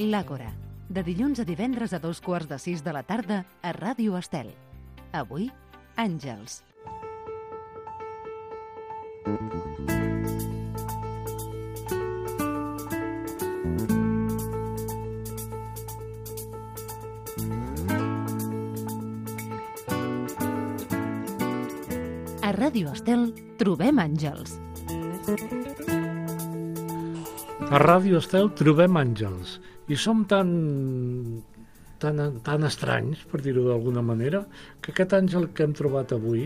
L'Àgora, de dilluns a divendres a 5:15 de la tarda a Ràdio Estel. Avui, Àngels. A Ràdio Estel trobem àngels. A Ràdio Estel trobem àngels i som tan estranys, per dir-ho d'alguna manera, que aquest àngel que hem trobat avui,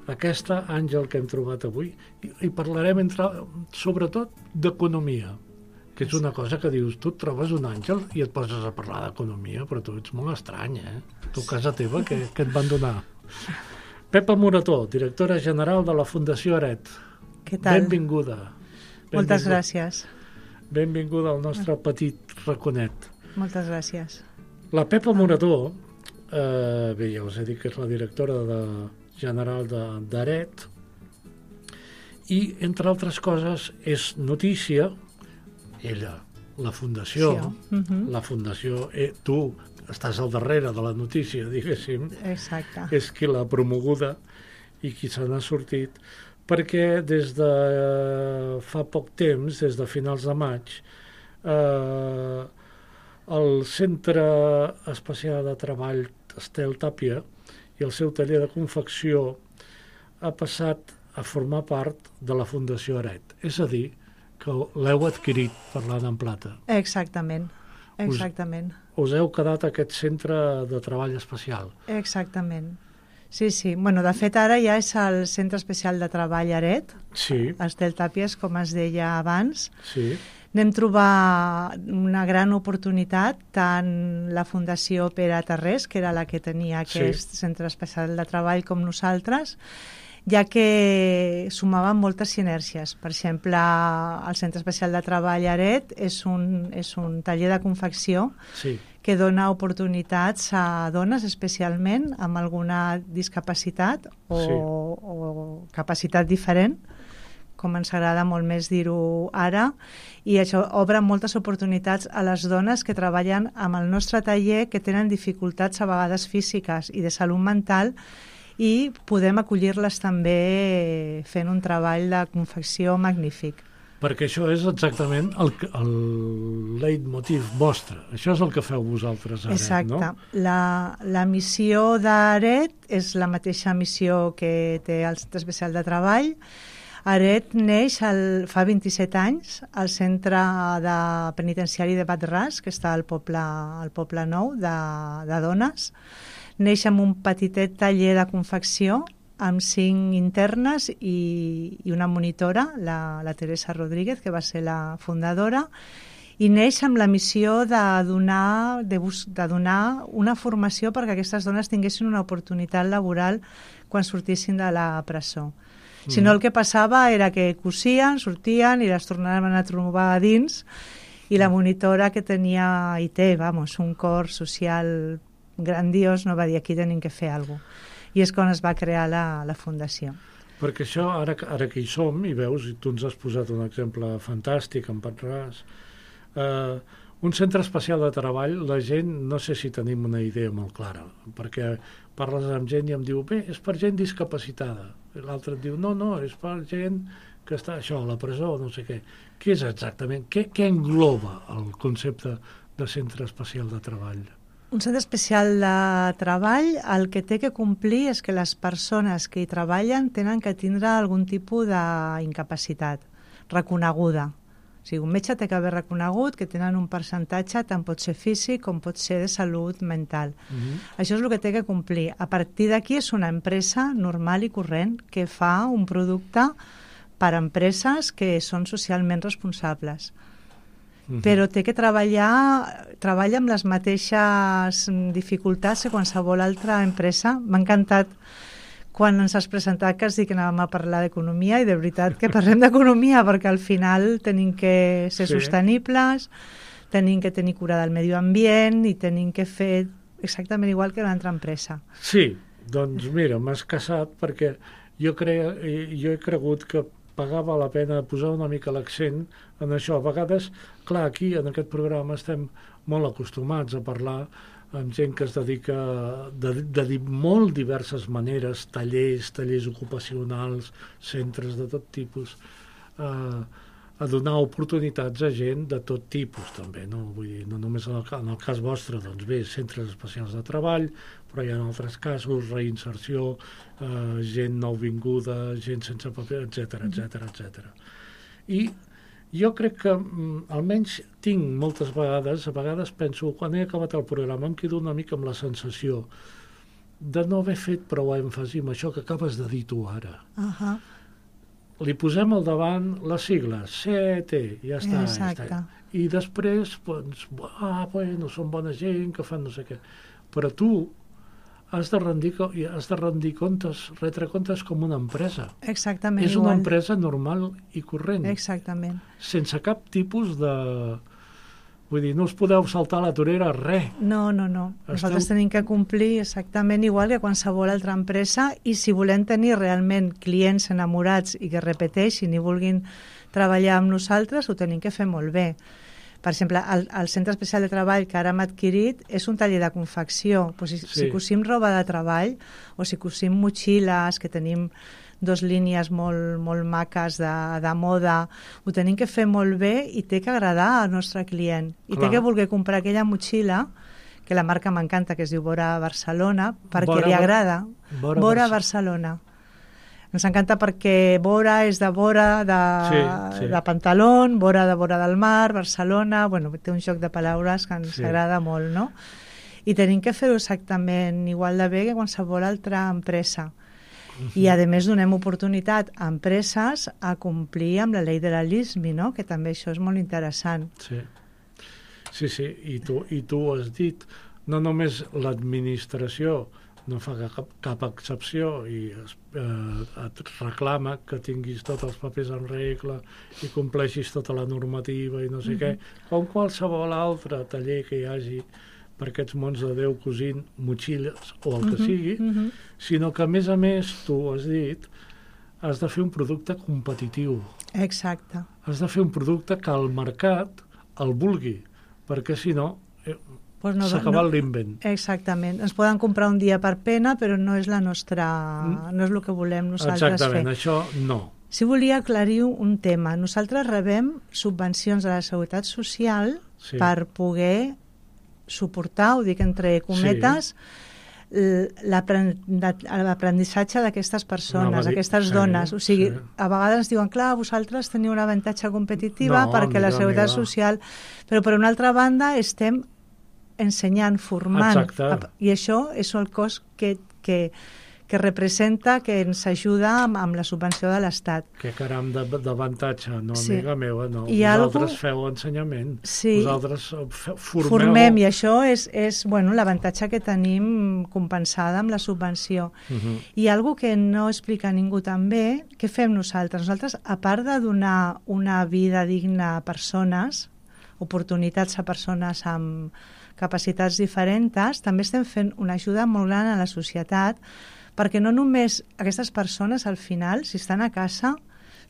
aquesta àngel que hem trobat avui, i parlarem sobretot d'economia, que és una cosa que dius, tu et trobes un àngel i et poses a parlar d'economia, però tu ets molt estrany, Tu a casa teva, què et van donar? Pepa Morató, directora general de la Fundació Aret. Què tal? Benvinguda. Moltes gràcies. Benvinguda al nostre petit raconet. Moltes gràcies. La Pepa Morató, bé, ja us he dit que és la directora general d'Aret, i, entre altres coses, és notícia, ella, la Fundació, la Fundació, tu estàs al darrere de la notícia, diguéssim. Exacte. És qui l'ha promoguda i qui se n'ha sortit, perquè des de fa poc temps, des de finals de maig, el Centre Especial de Treball Estel Tàpia i el seu taller de confecció ha passat a formar part de la Fundació Aret. És a dir, que l'heu adquirit, parlant en plata. Exactament. Us heu quedat aquest centre de treball especial. Exactament. Sí. Bueno, de fet, ara ja és el Centre Especial de Treball Aret, sí. Estel Tàpies, com es deia abans. Sí. Anem trobar una gran oportunitat, tant la Fundació Pere Tarrés, que era la que tenia aquest Centre Especial de Treball, com nosaltres, ja que sumaven moltes sinèrgies. Per exemple, el Centre Especial de Treball Aret és un taller de confecció que dona oportunitats a dones, especialment amb alguna discapacitat o capacitat diferent, com ens agrada molt més dir-ho ara, i això obre moltes oportunitats a les dones que treballen amb el nostre taller, que tenen dificultats a vegades físiques i de salut mental, i podem acollir-les també fent un treball de confecció magnífic. Perquè això és exactament el leitmotiv vostre. Això és el que feu vosaltres a Aret, exacte. No? La missió d'Aret és la mateixa missió que té el Centre Especial de Treball. Aret neix fa 27 anys al centre penitenciari de Bat-ras, que està al Poble Nou de dones. Neix amb un petitet taller de confecció amb 5 internes i una monitora, la Teresa Rodríguez, que va ser la fundadora, i neix amb la missió de donar una formació perquè aquestes dones tinguessin una oportunitat laboral quan sortissin de la presó. Si no, el que passava era que cosien, sortien i les tornaven a trobar a dins, i la monitora, que tenia i té, un cor social grandiós, no va dir aquí tenim que fer alguna cosa. I és quan es va crear la Fundació. Perquè això, ara que hi som, i veus, i tu ens has posat un exemple fantàstic en Bat-ras, un centre especial de treball, la gent, no sé si tenim una idea molt clara, perquè parles amb gent i em diu, bé, és per gent discapacitada. I l'altre et diu, no, és per gent que està a la presó, no sé què. Què és exactament? Què engloba el concepte de centre especial de treball? Un centre especial de treball el que té que complir és que les persones que hi treballen tenen que tindre algun tipus d'incapacitat reconeguda. O sigui, un metge té que haver reconegut que tenen un percentatge, tant pot ser físic com pot ser de salut mental. Això és el que té que complir. A partir d'aquí és una empresa normal i corrent que fa un producte per a empreses que són socialment responsables. Però té que treballa amb les mateixes dificultats que qualsevol altra empresa. M'ha encantat quan ens has presentat que has dit que anàvem a parlar d'economia, i de veritat que parlem d'economia, perquè al final tenim que ser sostenibles, tenim que tenir cura del medi ambient i tenim que fer exactament igual que l'altra empresa. Sí, doncs mira, m'has casat, perquè jo he cregut que pagava la pena posar una mica l'accent en això. A vegades, clar, aquí en aquest programa estem molt acostumats a parlar amb gent que es dedica de molt diverses maneres, tallers ocupacionals, centres de tot tipus, a donar oportunitats a gent de tot tipus també, no? Vull dir, no només en el cas vostre, doncs bé, centres especials de treball, però hi ha altres casos, reinserció, gent nouvinguda, gent sense paper, etc. I jo crec que almenys tinc moltes vegades, a vegades penso, quan he acabat el programa em quedo una mica amb la sensació de no haver fet prou èmfasi amb això que acabes de dir tu ara. Li posem al davant les sigles, CET, ja està. Exacte. I després, doncs, bueno, són bona gent que fan no sé què. Però tu has de rendir comptes, retre comptes com una empresa. Exactament És una empresa normal i corrent. Exactament. Sense cap tipus de... Vull dir, no us podeu saltar la torera, res. No. Nosaltres tenim que complir exactament igual que qualsevol altra empresa, i si volem tenir realment clients enamorats i que repeteixin i vulguin treballar amb nosaltres, ho tenim que fer molt bé. Per exemple, el Centre Especial de Treball que ara hem adquirit és un taller de confecció. Pues si cosim roba de treball o si cosim motxilles, que tenim 2 línies molt maques de moda, ho tenim que fer molt bé i té que agradar al nostre client. I té que voler comprar aquella motxilla, que la marca m'encanta, que es diu Bora Barcelona, perquè li agrada. Bora Barcelona. Ens encanta perquè Bora és de Bora, de pantalón, Bora de Bora del Mar, Barcelona, bueno, té un joc de paraules que ens agrada molt, no? I tenim que fer-ho exactament igual de bé que qualsevol altra empresa. I a més donem oportunitat a empreses a complir amb la llei de la LISMI, no? Que també això és molt interessant. Sí, i tu has dit, no només l'administració no fa cap excepció i et reclama que tinguis tots els papers en regla i compleixis tota la normativa i no sé què, com qualsevol altre taller que hi hagi per aquests mons de Déu cosint motxilles o el que sigui, sinó que a més tu has dit has de fer un producte competitiu. Exacte. Has de fer un producte que el mercat el vulgui, perquè si no s'ha acabat l'invent. Exactament. Ens poden comprar un dia per pena, però no és la nostra... no és el que volem nosaltres fer. Exactament, això no. Si volia aclarir un tema. Nosaltres rebem subvencions de la Seguretat Social per poder suportar, ho dic entre cometes, l'aprenentatge d'aquestes persones, d'aquestes dones. O sigui, a vegades diuen, clar, vosaltres teniu una avantatge competitiva perquè la Seguretat Social... Però per una altra banda estem ensenyant, formant. I això és el cost que representa, que ens ajuda amb la subvenció de l'Estat. Que caram d'avantatge, no, amiga meva, no. Vosaltres feu ensenyament, vosaltres formem, i això és l'avantatge que tenim compensada amb la subvenció. I algo que no explica ningú també, què fem nosaltres? Nosaltres, a part de donar una vida digna a persones, oportunitats a persones amb capacitats diferents, també estem fent una ajuda molt gran a la societat, perquè no només aquestes persones al final, si estan a casa,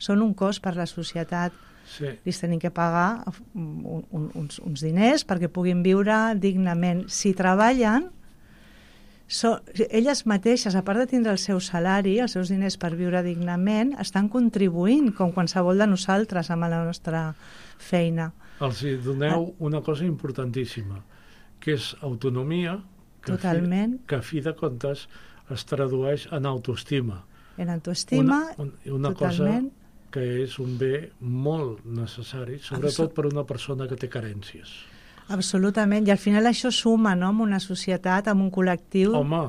són un cost per la societat. Li tenim que pagar uns diners perquè puguin viure dignament. Si treballen, elles mateixes, a part de tindre el seu salari, els seus diners per viure dignament, estan contribuint, com qualsevol de nosaltres, amb la nostra feina. Els doneu una cosa importantíssima, que és autonomia, que a fi de comptes es tradueix en autoestima. En autoestima, una cosa que és un bé molt necessari, sobretot per una persona que té carències. Absolutament, i al final això suma, no?, en una societat, en un col·lectiu. Home,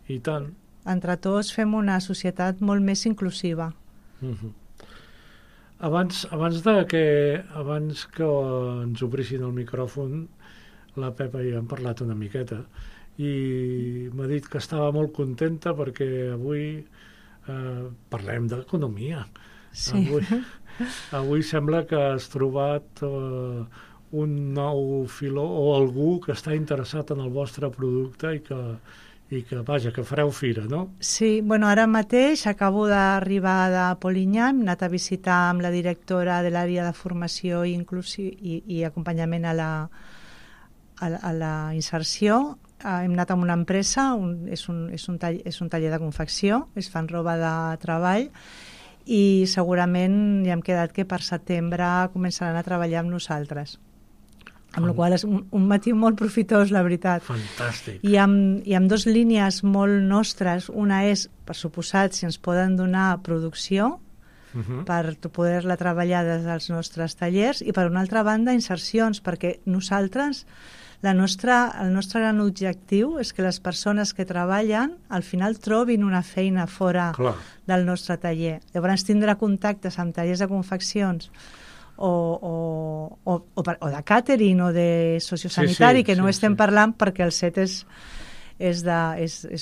i tant. Entre tots fem una societat molt més inclusiva. Abans que ens obrissin el micròfon, la Pepa i hem parlat una miqueta, i m'ha dit que estava molt contenta perquè avui parlem d'economia. Avui sembla que has trobat un nou filó o algú que està interessat en el vostre producte i i que, vaja, que fareu fira, no? Sí, bueno, ara mateix acabo d'arribar de Polinyà, hem anat a visitar amb la directora de l'àrea de formació i acompanyament a la inserció. Hem anat amb una empresa, és un taller de confecció, es fan roba de treball, i segurament ja hem quedat que per setembre començaran a treballar amb nosaltres. Amb la qual és un matí molt profitós, la veritat. Fantàstic. I amb dues línies molt nostres. Una és, per suposat, si ens poden donar producció per poder-la treballar des dels nostres tallers, i per una altra banda insercions, perquè nosaltres, el nostre gran objectiu és que les persones que treballen al final trobin una feina fora del nostre taller. Llavors tindrà contactes amb tallers de confeccions o de càtering o de sociosanitari, que no estem parlant perquè el set és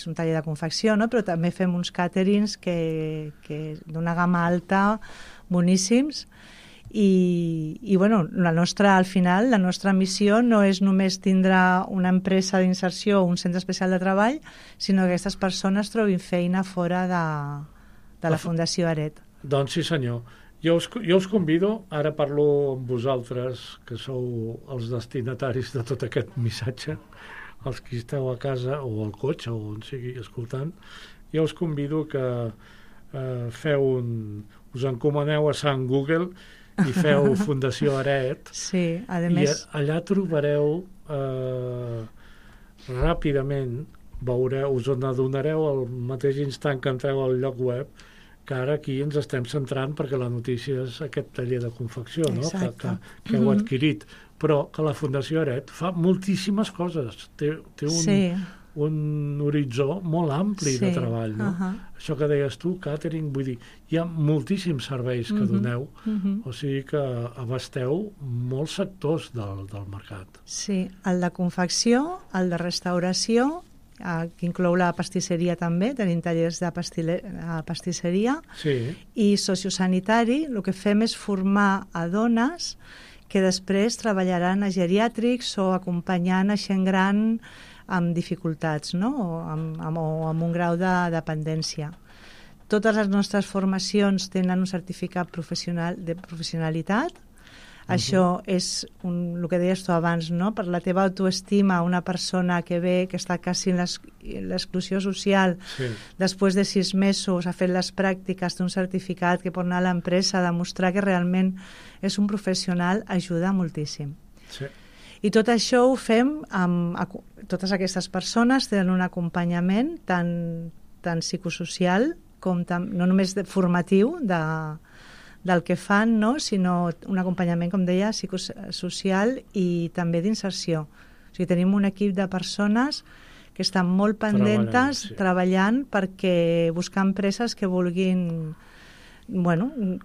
un taller de confecció, no? Però també fem uns càterings que d'una gamma alta, boníssims, i bueno, al final la nostra missió no és només tindre una empresa d'inserció o un centre especial de treball, sinó que aquestes persones trobin feina fora de la Fundació Aret. Doncs sí, senyor. Jo us convido, ara parlo amb vosaltres, que sou els destinataris de tot aquest missatge, els que esteu a casa o al cotxe o on sigui escoltant, jo us convido que us encomaneu a Sant Google i feu Fundació Aret. Sí, a i més... allà trobareu ràpidament, us n'adonareu al mateix instant que entreu al lloc web, que ara aquí ens estem centrant perquè la notícia és aquest taller de confecció, no? que heu adquirit, però que la Fundació Aret fa moltíssimes coses, té un horitzó molt ampli de treball, no? Això que deies tu, càtering, vull dir, hi ha moltíssims serveis que doneu, o sigui que abasteu molts sectors del mercat. Sí, el de confecció, el de restauració, que inclou la pastisseria també, tenim tallers de pastisseria, i sociosanitari. El que fem és formar a dones que després treballaran a geriàtrics o acompanyant a gent gran amb dificultats, no? o amb un grau de dependència. Totes les nostres formacions tenen un certificat de professionalitat. Això és el que deies tu abans, no? Per la teva autoestima, una persona que ve, que està quasi en l'exclusió social, després de 6 mesos ha fet les pràctiques, té un certificat que pot anar a l'empresa a demostrar que realment és un professional, ajuda moltíssim. I tot això ho fem amb totes aquestes persones, tenen un acompanyament tant psicosocial com no només formatiu del que fan, no? Sinó un acompanyament, com deia, psicosocial i també d'inserció. O sigui, tenim un equip de persones que estan molt pendentes treballant perquè buscar empreses que vulguin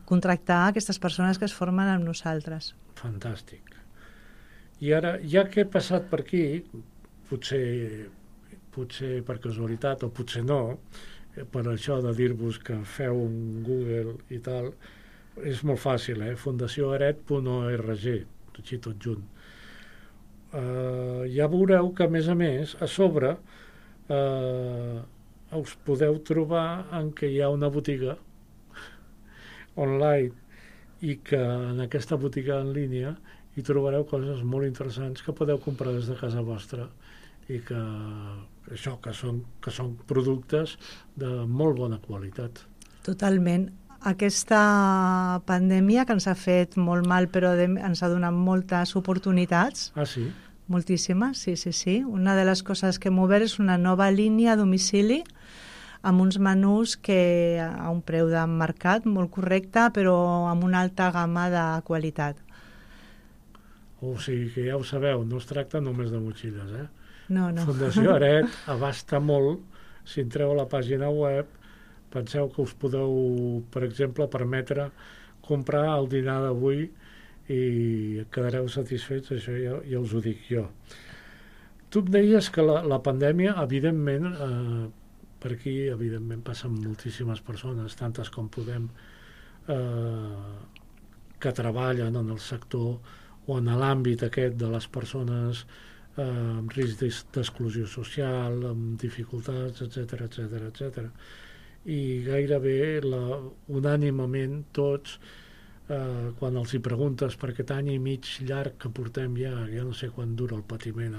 contractar aquestes persones que es formen amb nosaltres. Fantàstic. I ara, ja que he passat per aquí, potser per casualitat o potser no, per això de dir-vos que feu un Google i tal, és molt fàcil, fundacioaret.org, així tot junt. Ja veureu que, a més, a sobre us podeu trobar en què hi ha una botiga online i que en aquesta botiga en línia hi trobareu coses molt interessants que podeu comprar des de casa vostra i que són productes de molt bona qualitat. Totalment. Aquesta pandèmia que ens ha fet molt mal però ens ha donat moltes oportunitats. Ah, sí? Moltíssimes, sí. Una de les coses que hem obert és una nova línia a domicili amb uns menús que a un preu de mercat molt correcte però amb una alta gamma de qualitat. O sigui que ja ho sabeu, no es tracta només de motxilles, No. Fundació Aret abasta molt. Si entreu a la pàgina web, penseu que us podeu, per exemple, permetre comprar el dinar d'avui i quedareu satisfets, això ja us ho dic jo. Tu em deies que la pandèmia, evidentment, per aquí, evidentment, passen moltíssimes persones, tantes com podem, que treballen en el sector o en l'àmbit aquest de les persones amb risc d'exclusió social, amb dificultats, etc. I gairebé unànimament tots, quan els hi preguntes per aquest any i mig llarg que portem ja no sé quan dura el patiment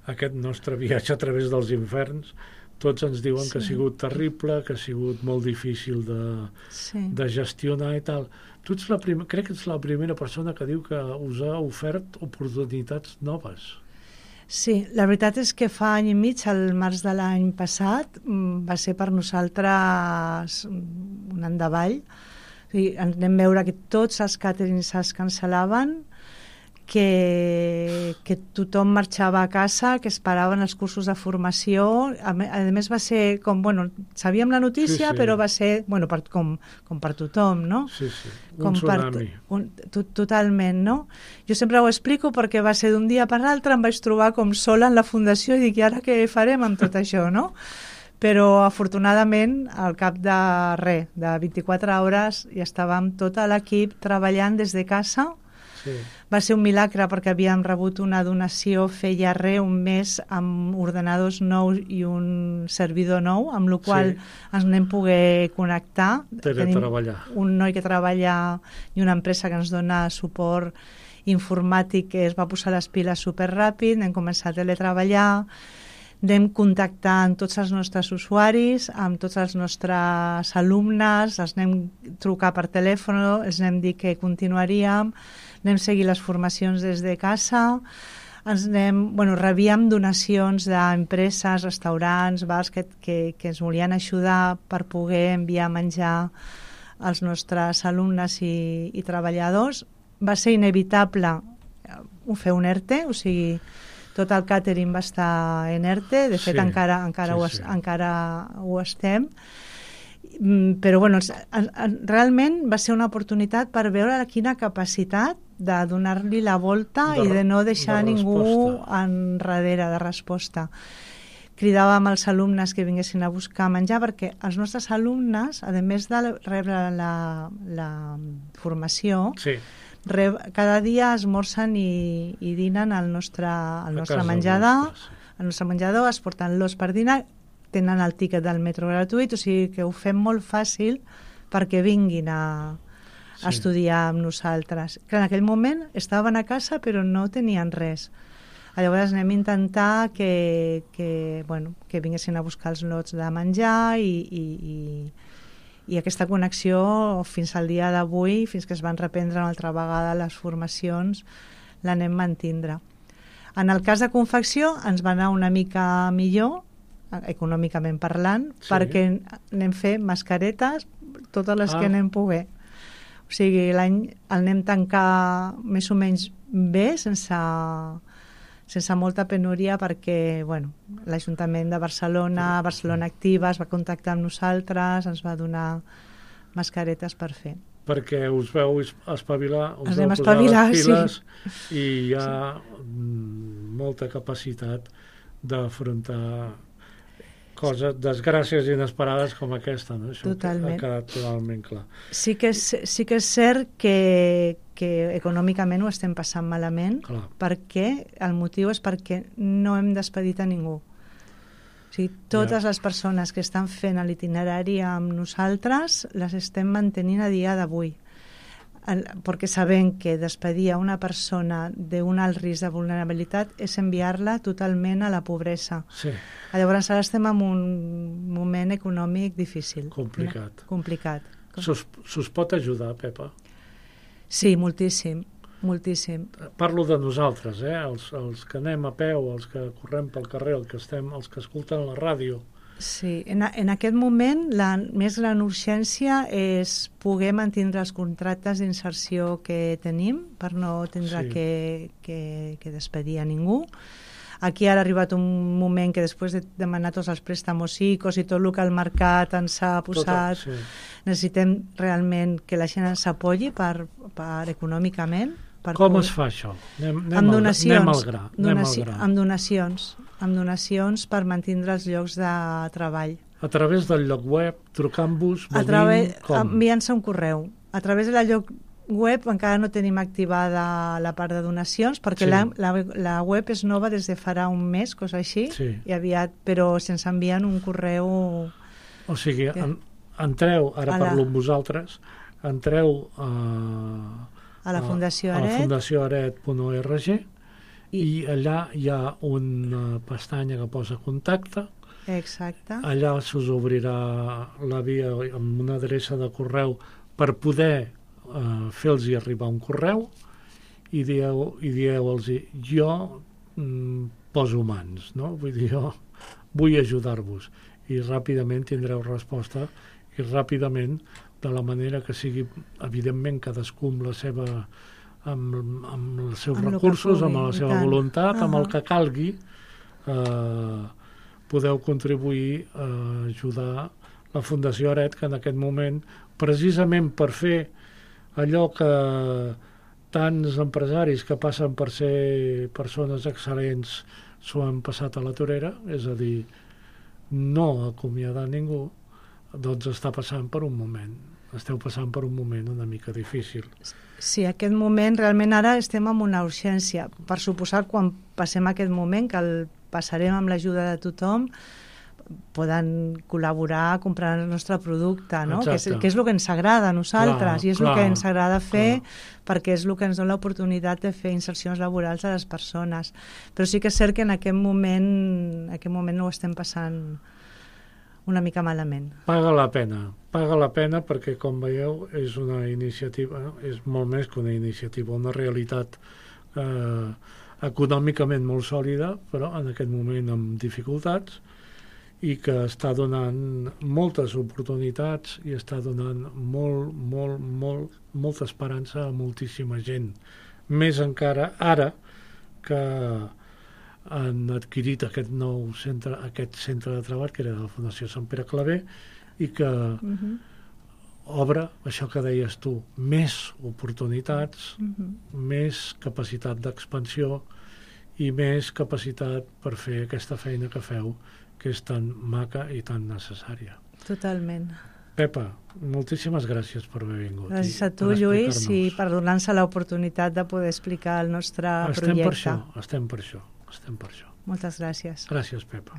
aquest nostre viatge a través dels inferns, tots ens diuen que ha sigut terrible, que ha sigut molt difícil de gestionar i tal. Tu ets crec que ets la primera persona que diu que us ha ofert oportunitats noves. Sí, la veritat és que fa any i mig, al març de l'any passat, va ser per nosaltres un endavall. O sigui, anem a veure que tots els càterings es cancel·laven, que tothom marxava a casa, que esperaven els cursos de formació. A més va ser com, sabíem la notícia, però va ser, com per tothom, no? Sí, un tsunami. Totalment, no? Jo sempre ho explico perquè va ser d'un dia per l'altre, em vaig trobar com sola en la fundació i dic, i ara què farem amb tot això, no? Però afortunadament, al cap de 24 hores, ja estàvem tot l'equip treballant des de casa. Sí. Va ser un milagre perquè havíem rebut una donació feia un mes amb ordenadors nous i un servidor nou, amb la qual ens anem poder connectar. Teletreballar. Tenim un noi que treballa i una empresa que ens dona suport informàtic que es va posar les piles superràpid, hem començat a teletreballar, anem contactant tots els nostres usuaris, amb tots els nostres alumnes, els anem trucar per telèfon, els anem dir que continuaríem, anem seguir les formacions des de casa, rebíem donacions d'empreses, restaurants, bars que ens volien ajudar per poder enviar menjar als nostres alumnes i treballadors. Va ser inevitable fer un ERTE, o sigui, tot el càtering va estar en ERTE, de fet encara ho estem, però realment va ser una oportunitat per veure quina capacitat de donar-li la volta i de no deixar ningú enrere de resposta. Cridàvem als alumnes que vinguessin a buscar menjar perquè els nostres alumnes, a més de rebre la formació, cada dia esmorzen i dinen al nostre menjador. Al nostre menjador es porten l'os per dinar, tenen el tíquet del metro gratuït, o sigui que ho fem molt fàcil perquè vinguin a estudiar amb nosaltres. Que en aquell moment estaven a casa però no tenien res. Llavors anem a intentar que vinguessin a buscar els lots de menjar i aquesta connexió fins al dia d'avui, fins que es van reprendre una altra vegada les formacions, l'anem mantindre. En el cas de confecció ens va anar una mica millor, econòmicament parlant, perquè anem fer mascaretes, totes les que anem poder. O sigui, l'any el anem tancar més o menys bé, sense molta penúria, perquè l'Ajuntament de Barcelona Activa, es va contactar amb nosaltres, ens va donar mascaretes per fer. Perquè us veu espavilar, us veu posar les piles i hi ha molta capacitat d'afrontar coses, desgràcies inesperades com aquesta, no? Això ha quedat totalment clar. Sí que és cert que econòmicament ho estem passant malament, perquè el motiu és perquè no hem despedit a ningú. O sigui, totes les persones que estan fent l'itinerari amb nosaltres les estem mantenint a dia d'avui, perquè sabem que despedir a una persona d'un alt risc de vulnerabilitat és enviar-la totalment a la pobresa. Llavors ara estem en un moment econòmic difícil. Complicat. S'us pot ajudar, Pepa? Sí, moltíssim. Parlo de nosaltres, els que anem a peu, els que correm pel carrer, els que escolten la ràdio. Sí, en aquest moment la més gran urgència és poder mantenir els contractes d'inserció que tenim per no tindre que despedir a ningú. Aquí ara ha arribat un moment que després de demanar tots els préstamos ICOs i tot el que el mercat ens ha posat, necessitem realment que la gent ens apoyi per econòmicament. Com es fa això? Anem al gra. Amb donacions per mantenir els llocs de treball. A través del lloc web, trucant-vos, enviant-se un correu. A través del lloc web encara no tenim activada la part de donacions, perquè la web és nova des de farà un mes, cosa així, i aviat, però se'ns envien un correu... O sigui, entreu, ara parlo amb vosaltres, entreu a la Fundació Aret, a la fundacioaret.org, i allà hi ha una pestanya que posa contacte. Exacte. Allà s'us obrirà la via amb una adreça de correu per poder fer-los arribar un correu i dieu-los jo poso mans, no? Vull dir, jo vull ajudar-vos, i ràpidament tindreu resposta, i ràpidament, de la manera que sigui, evidentment cadascú amb els seus recursos, amb la seva voluntat, amb el que calgui, podeu contribuir a ajudar la Fundació Aret, que en aquest moment, precisament per fer allò que tants empresaris que passen per ser persones excel·lents s'ho han passat a la torera, és a dir, no acomiadar ningú, doncs està passant per un moment. Esteu passant per un moment una mica difícil. Sí, aquest moment, realment ara estem en una urgència. Per suposar, quan passem aquest moment, que el passarem amb l'ajuda de tothom, poden col·laborar comprant el nostre producte, no? Que és el que ens agrada a nosaltres, i és el que ens agrada fer, perquè és el que ens dona l'oportunitat de fer insercions laborals a les persones. Però sí que és cert que en aquest moment no ho estem passant una mica malament. Paga la pena perquè, com veieu, és una iniciativa, és molt més que una iniciativa, una realitat econòmicament molt sòlida, però en aquest moment amb dificultats, i que està donant moltes oportunitats i està donant molta esperança a moltíssima gent. Més encara ara que han adquirit aquest nou centre, aquest centre de treball, que era de la Fundació Sant Pere Claver, i que obre, això que deies tu, més oportunitats, més capacitat d'expansió i més capacitat per fer aquesta feina que feu, que és tan maca i tan necessària. Totalment. Pepa, moltíssimes gràcies per haver vingut. Gràcies a tu, Lluís, i per donar-nos l'oportunitat de poder explicar el nostre projecte. Estem per això. Moltes gràcies. Gràcies, Pepa.